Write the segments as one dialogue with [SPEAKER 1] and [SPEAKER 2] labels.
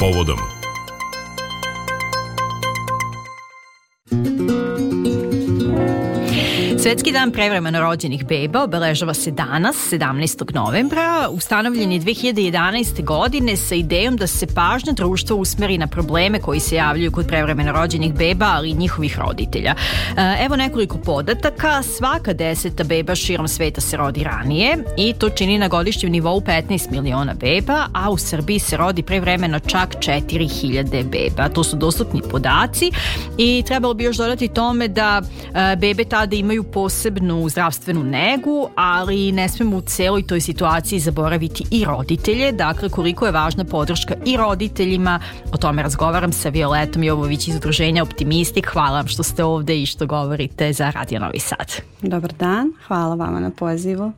[SPEAKER 1] povodom.
[SPEAKER 2] Svetski dan prevremeno rođenih beba obeležava se danas, 17. novembra. Ustanovljen je 2011. godine sa idejom da se pažnja društva usmeri na probleme koji se javljaju kod prevremeno rođenih beba, ali i njihovih roditelja. Evo nekoliko podataka. Svaka 10. beba širom sveta se rodi ranije i to čini na godišnjem nivou 15 miliona beba, a u Srbiji se rodi prevremeno čak 4000 beba. To su dostupni podaci i trebalo bi još dodati tome da bebe tada imaju posebnu zdravstvenu negu, ali ne smemo u celoj toj situaciji zaboraviti i roditelje. Dakle, koliko je važna podrška i roditeljima, o tome razgovaram sa Violetom Jovović iz udruženja Optimistik. Hvala vam što ste ovde i što govorite za Radio Novi Sad.
[SPEAKER 3] Dobar dan, hvala vama na pozivu.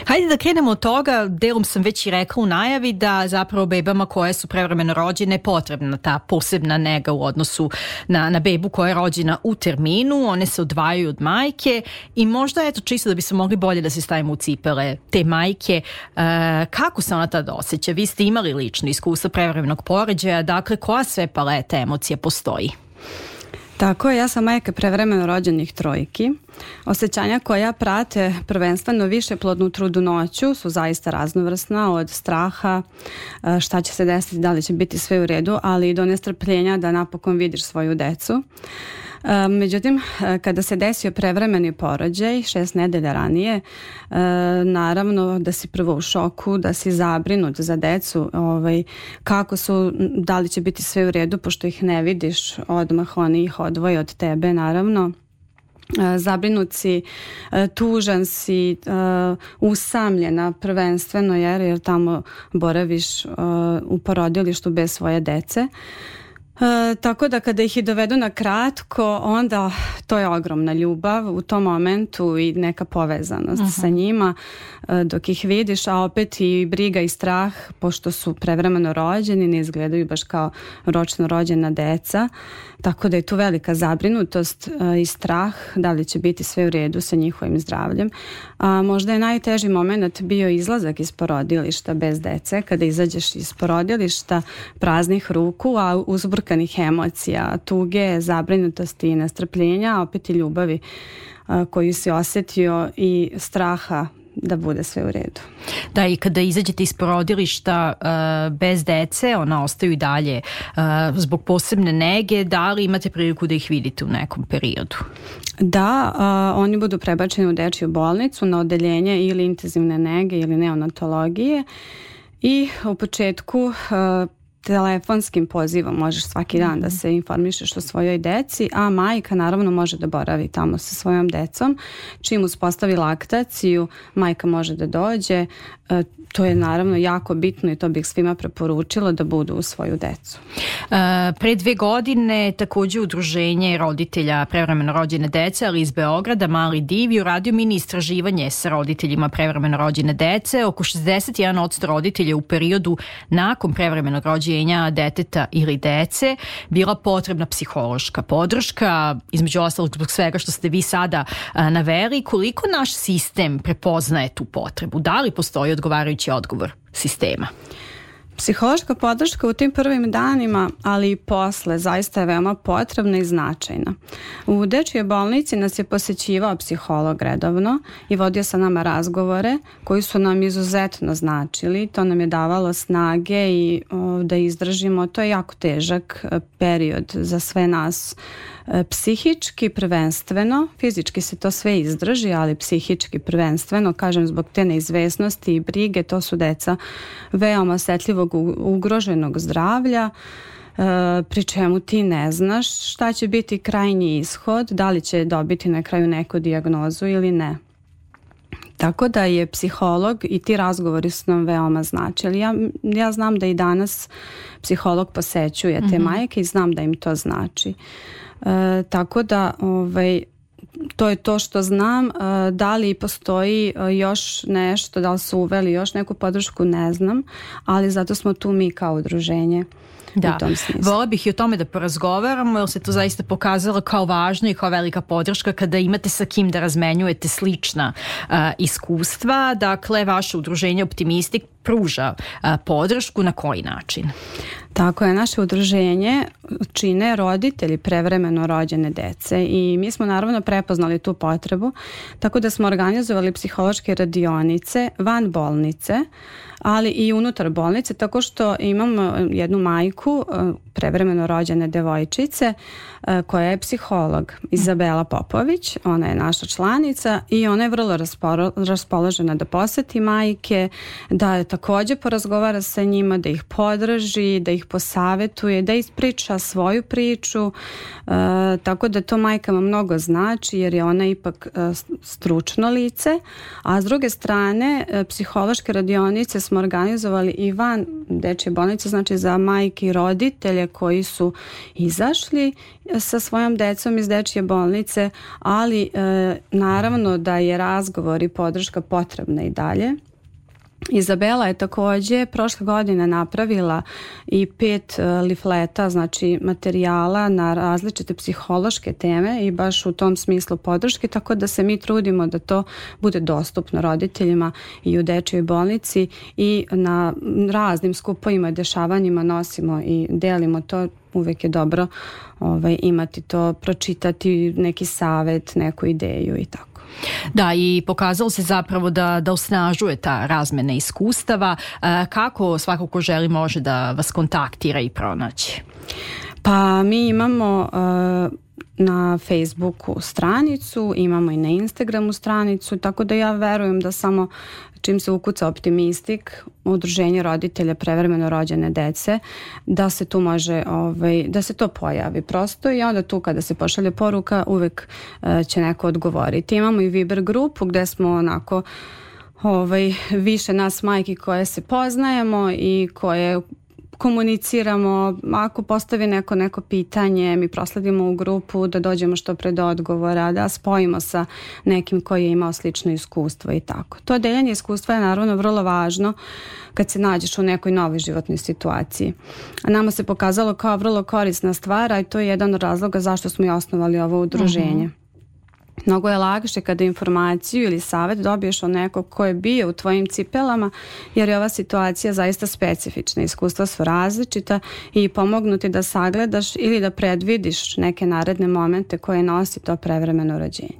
[SPEAKER 2] Hajde da krenemo od toga, delom sam već i rekla u najavi da zapravo bebama koje su prevremeno rođene potrebna ta posebna nega u odnosu na bebu koja je rođena u terminu. One se odvajaju od majke i možda eto čisto da bi se mogli bolje da se stavimo u cipele te majke. Kako se ona tada osjeća? Vi ste imali lično iskustvo prevremenog porođaja, dakle koja sve paleta emocija postoji?
[SPEAKER 3] Tako je, ja sam majka prevremeno rođenih trojki. Osjećanja koja prate prvenstveno više plodnu trudnoću su zaista raznovrsna, od straha šta će se desiti, da li će biti sve u redu, ali i do nestrpljenja da napokon vidiš svoju decu. Međutim, kada se desio prevremeni porođaj 6 nedelja ranije, naravno da si prvo u šoku, da si zabrinut za decu, kako su, da li će biti sve u redu, pošto ih ne vidiš odmah, oni ih odvoje od tebe, naravno. Zabrinut si, tužan si, usamljena prvenstveno jer tamo boraviš u porodilištu bez svoje dece. Tako da kada ih i dovedu na kratko, onda to je ogromna ljubav u tom momentu i neka povezanost sa njima dok ih vidiš, a opet i briga i strah, pošto su prevremeno rođeni, ne izgledaju baš kao ročno rođena deca, tako da je tu velika zabrinutost i strah da li će biti sve u redu sa njihovim zdravljem. Možda je najteži moment bio izlazak iz porodilišta bez dece, kada izađeš iz porodilišta praznih ruku, a uzburkanih emocija, tuge, zabrinutosti i nestrpljenja, a opet i ljubavi koju si osjetio i straha da bude sve u redu.
[SPEAKER 2] Da, i kada izađete iz porodilišta bez dece, ona ostaju i dalje zbog posebne nege, da li imate priliku da ih vidite u nekom periodu?
[SPEAKER 3] Da, oni budu prebačeni u dečju bolnicu na odeljenje ili intenzivne nege ili neonatologije i u početku telefonskim pozivom možeš svaki dan da se informišeš o svojoj deci, a majka naravno može da boravi tamo sa svojom decom. Čim uspostavi laktaciju, majka može da dođe. To je naravno jako bitno i to bih svima preporučila da budu uz svoju decu.
[SPEAKER 2] Pre 2 godine takođe udruženje roditelja prevremeno rođene dece, ali iz Beograda, Mali div, uradio mini istraživanje sa roditeljima prevremeno rođene dece. Oko 61% roditelja u periodu nakon prevremenog rođenja deteta ili dece bila potrebna psihološka podrška, između ostalog zbog svega što ste vi sada naveli. Koliko naš sistem prepoznaje tu potrebu? Da li postoji odgovarajući odgovor sistema?
[SPEAKER 3] Psihološka podrška u tim prvim danima, ali i posle, zaista je veoma potrebna i značajna. U dečjoj bolnici nas je posećivao psiholog redovno i vodio sa nama razgovore koji su nam izuzetno značili. To nam je davalo snage i da izdržimo. To je jako težak period za sve nas. Psihički prvenstveno, fizički se to sve izdrži, ali psihički prvenstveno, kažem zbog te neizvesnosti i brige, to su deca veoma osetljivog ugroženog zdravlja, pri čemu ti ne znaš šta će biti krajnji ishod, da li će dobiti na kraju neku dijagnozu ili ne. Tako da je psiholog i ti razgovori su nam veoma značili. Ja znam da i danas psiholog posećuje te majke i znam da im to znači. Tako da to je to što znam. Da li postoji još nešto, da li su uveli još neku podršku, ne znam, ali zato smo tu mi kao udruženje.
[SPEAKER 2] Da, vola bih i o tome da porazgovaramo, jer se to zaista pokazalo kao važno i kao velika podrška kada imate sa kim da razmenjujete slična iskustva. Dakle, vaše udruženje Optimistik pruža podršku, na koji način?
[SPEAKER 3] Tako je, naše udruženje čine roditelji prevremeno rođene dece i mi smo naravno prepoznali tu potrebu, tako da smo organizovali psihološke radionice van bolnice, ali i unutar bolnice, tako što imamo jednu majku prevremeno rođene devojčice koja je psiholog, Izabela Popović, ona je naša članica i ona je vrlo raspoložena da poseti majke, da također porazgovara sa njima, da ih podrži, da ih posavetuje, da ispriča svoju priču, tako da to majkama mnogo znači jer je ona ipak stručno lice, a s druge strane psihološke radionice smo organizovali i van dečje bolnice, znači za majke i roditelje koji su izašli sa svojom decom iz dečje bolnice, ali naravno da je razgovor i podrška potrebna i dalje. Izabela je također prošle godine napravila i 5 lifleta, znači materijala na različite psihološke teme i baš u tom smislu podrške, tako da se mi trudimo da to bude dostupno roditeljima i u dečjoj bolnici i na raznim skupovima i dešavanjima nosimo i delimo to. Uvijek je dobro imati to, pročitati neki savjet, neku ideju i tako.
[SPEAKER 2] Da, i pokazalo se zapravo da osnažuje ta razmjena iskustava. Kako svako ko želi može da vas kontaktira i pronaći?
[SPEAKER 3] Pa mi imamo na Facebooku stranicu, imamo i na Instagramu stranicu, tako da ja verujem da samo čim se ukuca Optimistik, udruženje roditelja prevremeno rođene dece, da se tu može, da se to pojavi prosto i onda tu kada se pošalje poruka uvek će neko odgovoriti. Imamo i Viber grupu gde smo onako više nas majki koje se poznajemo i koje komuniciramo, ako postavi neko pitanje, mi prosledimo u grupu da dođemo što pre do odgovora, da spojimo sa nekim koji je imao slično iskustvo i tako. To deljenje iskustva je naravno vrlo važno kad se nađeš u nekoj novoj životnoj situaciji. A nama se pokazalo kao vrlo korisna stvar, a i to je jedan od razloga zašto smo i osnovali ovo udruženje. Mnogo je lakše kada informaciju ili savjet dobiješ od nekog ko je bio u tvojim cipelama, jer je ova situacija zaista specifična. Iskustva su različita i pomognu ti da sagledaš ili da predvidiš neke naredne momente koje nosi to prevremeno rođenje.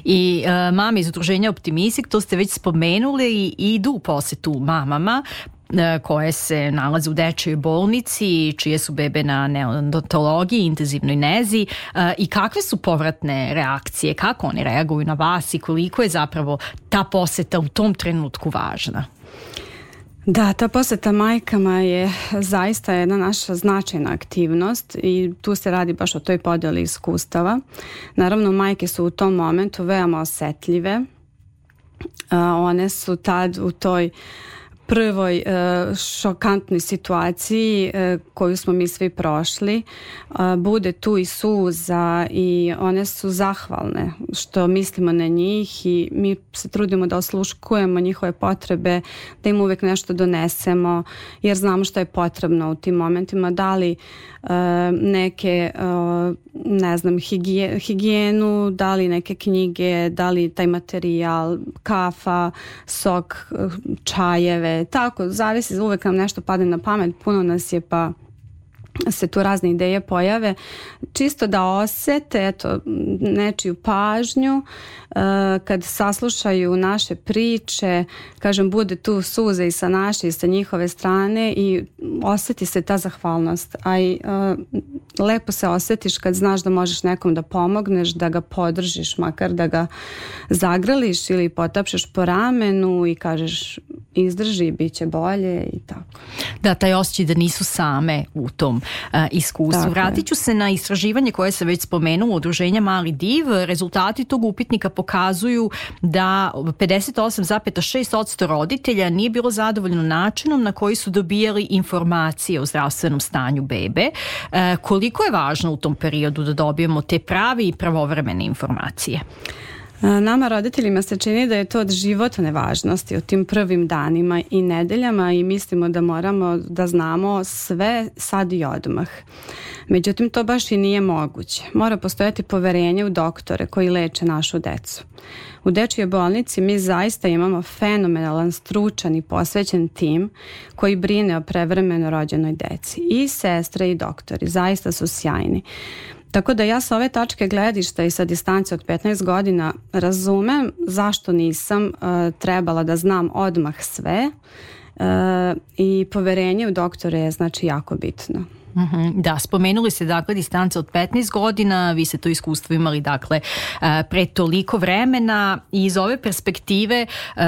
[SPEAKER 2] I mame iz udruženja Optimistik, to ste već spomenuli, i idu u posetu mamama koje se nalaze u dečjoj bolnici, čije su bebe na neonatologiji, intenzivnoj nezi, i kakve su povratne reakcije, kako oni reaguju na vas i koliko je zapravo ta poseta u tom trenutku važna?
[SPEAKER 3] Da, ta poseta majkama je zaista jedna naša značajna aktivnost i tu se radi baš o toj podjeli iskustava. Naravno, majke su u tom momentu veoma osetljive. One su tad u toj prvoj šokantnoj situaciji koju smo mi svi prošli, bude tu i suza i one su zahvalne što mislimo na njih i mi se trudimo da osluškujemo njihove potrebe, da im uvijek nešto donesemo jer znamo što je potrebno u tim momentima, da li neke higijenu, da li neke knjige, da li taj materijal, kafa, sok, čajeve, tako, zavisi, uvek nam nešto padne na pamet, puno nas je pa se tu razne ideje pojave, čisto da osete nečiju pažnju, kad saslušaju naše priče, kažem, bude tu suze i sa naše i sa njihove strane i osjeti se ta zahvalnost, a i lepo se osjetiš kad znaš da možeš nekom da pomogneš, da ga podržiš, makar da ga zagrliš ili potapšeš po ramenu i kažeš izdrži, bit će bolje i tako.
[SPEAKER 2] Da, taj osjećaj da nisu same u tom iskustvu. Vratit ću se na istraživanje koje se već spomenulo, udruženja Mali div. Rezultati tog upitnika pokazuju da 58,6% roditelja nije bilo zadovoljno načinom na koji su dobijali informacije o zdravstvenom stanju bebe. Koliko je važno u tom periodu da dobijemo te prave i pravovremene informacije?
[SPEAKER 3] Nama roditeljima se čini da je to od životne važnosti u tim prvim danima i nedeljama i mislimo da moramo da znamo sve sad i odmah. Međutim, to baš i nije moguće. Mora postojati poverenje u doktore koji leče našu decu. U dečjoj bolnici mi zaista imamo fenomenalan, stručan i posvećen tim koji brine o prevremeno rođenoj deci. I sestre i doktori zaista su sjajni. Tako da ja sa ove tačke gledišta i sa distance od 15 godina razumem zašto nisam trebala da znam odmah sve i poverenje u doktore je znači jako bitno.
[SPEAKER 2] Da, spomenuli ste dakle distanca od 15 godina, vi ste to iskustvo imali dakle pre toliko vremena i iz ove perspektive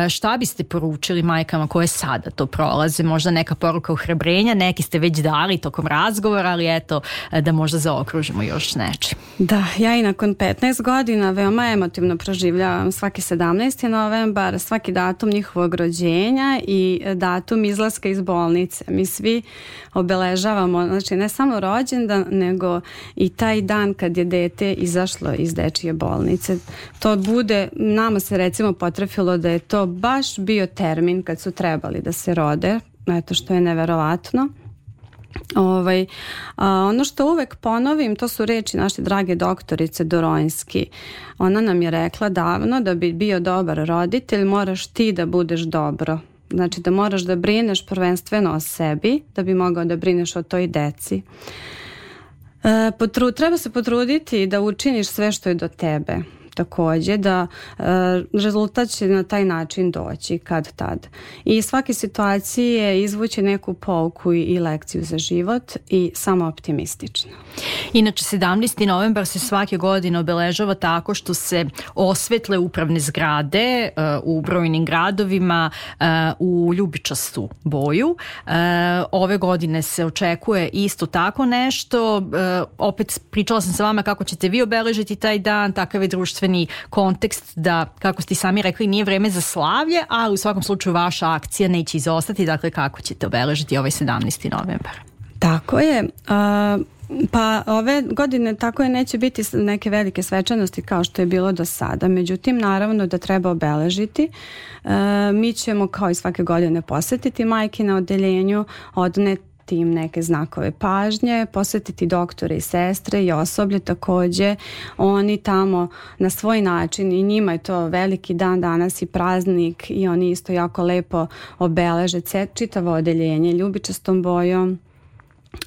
[SPEAKER 2] šta biste poručili majkama koje sada to prolaze, možda neka poruka ohrabrenja, neki ste već dali tokom razgovora, ali eto da možda zaokružimo još nečim.
[SPEAKER 3] Da, ja i nakon 15 godina veoma emotivno proživljavam svaki 17. novembar, svaki datum njihovog rođenja i datum izlaska iz bolnice. Mi svi obeležavamo, znači ne samo rođendan, nego i taj dan kad je dete izašlo iz dečije bolnice. To bude, nama se recimo potrefilo da je to baš bio termin kad su trebali da se rode, eto što je neverovatno. Ono što uvek ponovim, to su reči naše drage doktorice Doronjski. Ona nam je rekla davno da bi bio dobar roditelj moraš ti da budeš dobro. Znači da moraš da brineš prvenstveno o sebi da bi mogao da brineš o toj deci. Treba se potruditi da učiniš sve što je do tebe. Takođe da rezultat će na taj način doći kad tad. I svake situacije izvući neku pouku i lekciju za život i samo optimistično.
[SPEAKER 2] Inače 17. novembar se svake godine obeležava tako što se osvetle upravne zgrade u brojnim gradovima u ljubičastu boju. Ove godine se očekuje isto tako nešto. Opet pričala sam sa vama kako ćete vi obeležiti taj dan, takav je društveni kontekst da, kako ste sami rekli, nije vreme za slavlje, ali u svakom slučaju vaša akcija neće izostati. Dakle, kako ćete obeležiti ovaj 17. novembar?
[SPEAKER 3] Tako je. Pa ove godine tako je neće biti neke velike svečanosti kao što je bilo do sada. Međutim, naravno da treba obeležiti. Mi ćemo kao i svake godine posjetiti majke na odeljenju, odneti im neke znakove pažnje, posvetiti doktore i sestre i osoblje takođe. Oni tamo na svoj način i njima je to veliki dan danas i praznik i oni isto jako lepo obeleže čitavo odeljenje ljubičastom bojom.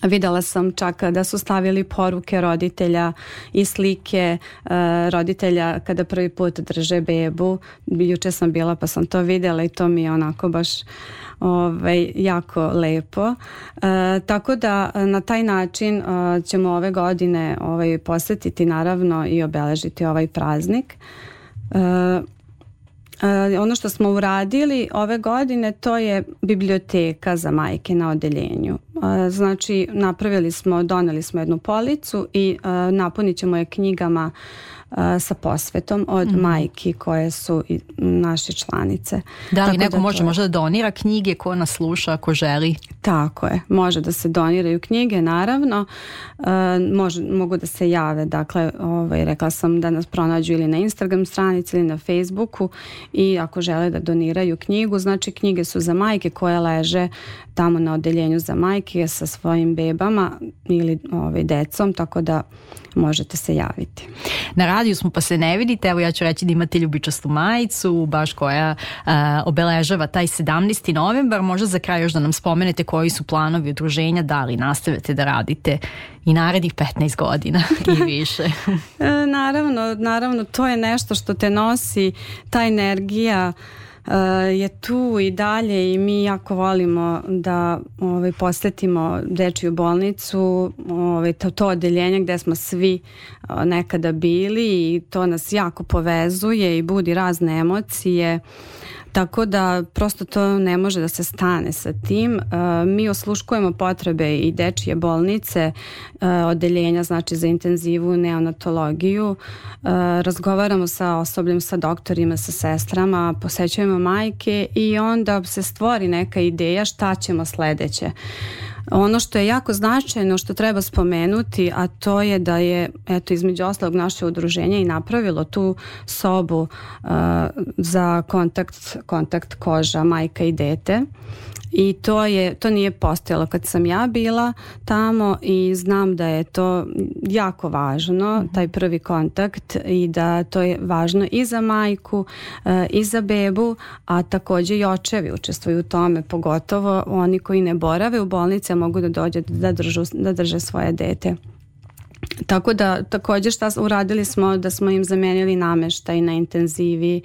[SPEAKER 3] Videla sam čak da su stavili poruke roditelja i slike roditelja kada prvi put drže bebu. Juče sam bila pa sam to vidjela i to mi je onako baš jako lepo. Tako da na taj način ćemo ove godine posjetiti naravno i obeležiti ovaj praznik. Ono što smo uradili ove godine to je biblioteka za majke na odeljenju. Znači doneli smo jednu policu i napunit ćemo je knjigama sa posvetom od majki koje su naše članice.
[SPEAKER 2] Da li neko može možda da donira knjige ko nas sluša ako želi?
[SPEAKER 3] Tako je, može da se doniraju knjige naravno, mogu da se jave, dakle rekla sam da nas pronađu ili na Instagram stranici ili na Facebooku i ako žele da doniraju knjigu, znači knjige su za majke koje leže tamo na odeljenju za majke sa svojim bebama ili decom, tako da možete se javiti.
[SPEAKER 2] Na radiju smo pa se ne vidite, evo ja ću reći da imate ljubičastu majicu baš koja obeležava taj 17. novembar. Možda za kraj još da nam spomenete koji su planovi udruženja, da li nastavite da radite i narednih 15 godina i više. Naravno, to je nešto što te nosi, ta energija je tu i dalje i mi jako volimo da posjetimo dečju bolnicu, to odeljenje gdje smo svi nekada bili i to nas jako povezuje i budi razne emocije. Tako da prosto to ne može da se stane sa tim. Mi osluškujemo potrebe i dečje bolnice, odeljenja znači za intenzivu, neonatologiju. Razgovaramo sa osobljem, sa doktorima, sa sestrama, posećujemo majke i onda se stvori neka ideja šta ćemo sledeće.
[SPEAKER 3] Ono što je jako značajno, što treba spomenuti, a to je da je, eto, između ostalog naše udruženje i napravilo tu sobu za kontakt koža majka i dete. I to nije postojalo kad sam ja bila tamo i znam da je to jako važno, taj prvi kontakt, i da to je važno i za majku i za bebu, a također i očevi učestvuju u tome, pogotovo oni koji ne borave u bolnici, a mogu da dođe da drže svoje dete. Tako da također šta uradili smo, da smo im zamenili namještaj na intenzivi,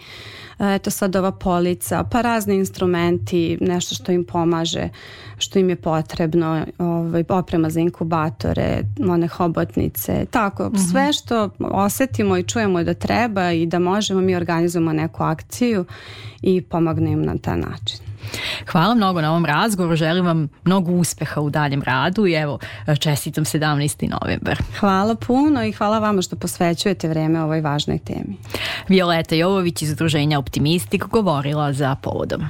[SPEAKER 3] eto sad ova polica, pa razni instrumenti, nešto što im pomaže, što im je potrebno, oprema za inkubatore, one hobotnice, tako, sve što osjetimo i čujemo da treba i da možemo, mi organizujemo neku akciju i pomognemo im na taj način.
[SPEAKER 2] Hvala mnogo na ovom razgovoru, želim vam mnogo uspeha u daljem radu i evo, čestitam 17. novembar.
[SPEAKER 3] Hvala puno i hvala vama što posvećujete vreme ovoj važnoj temi.
[SPEAKER 2] Violeta Jovović iz Udruženja Optimistik govorila za Povodom.